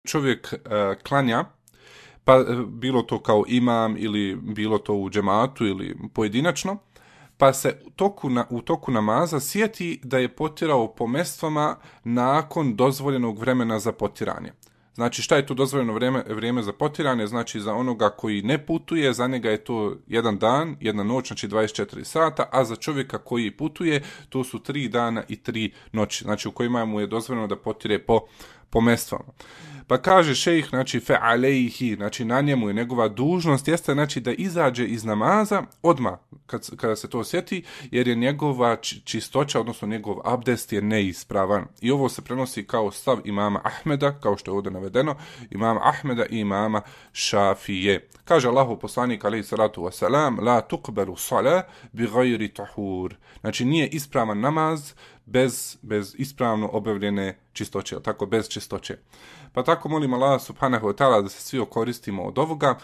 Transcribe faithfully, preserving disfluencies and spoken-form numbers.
čovjek uh, klanja, pa uh, bilo to kao imam ili bilo to u džematu ili pojedinačno, pa se u toku, na, u toku namaza sjeti da je potirao po mestvama nakon dozvoljenog vremena za potiranje. Znači šta je to dozvoljeno vrijeme, vrijeme za potiranje? Znači za onoga koji ne putuje, za njega je to jedan dan, jedna noć, znači dvadeset četiri sata, a za čovjeka koji putuje to su tri dana i tri noći, znači u kojima mu je dozvoljeno da potire po, po mestvama. Pa kaže šejh, znači fe alejhi, znači na njemu je njegova dužnost, jeste znači da izađe iz namaza odmah kad, kada se to osjeti, jer je njegova čistoća, odnosno njegov abdest je neispravan. I ovo se prenosi kao stav imama Ahmeda, kao što je ovdje navedeno, imama Ahmeda i imama Šafije. Kaže Allahov poslanik alejhi salatu vesselam: la tuqbalu salah bi ghairi tahur. Znači nije ispravan namaz bez, bez ispravno obavljene čistoće, tako bez čistoće. Pa tako molim Allah subhanahu wa ta'ala da se svi okoristimo od ovoga.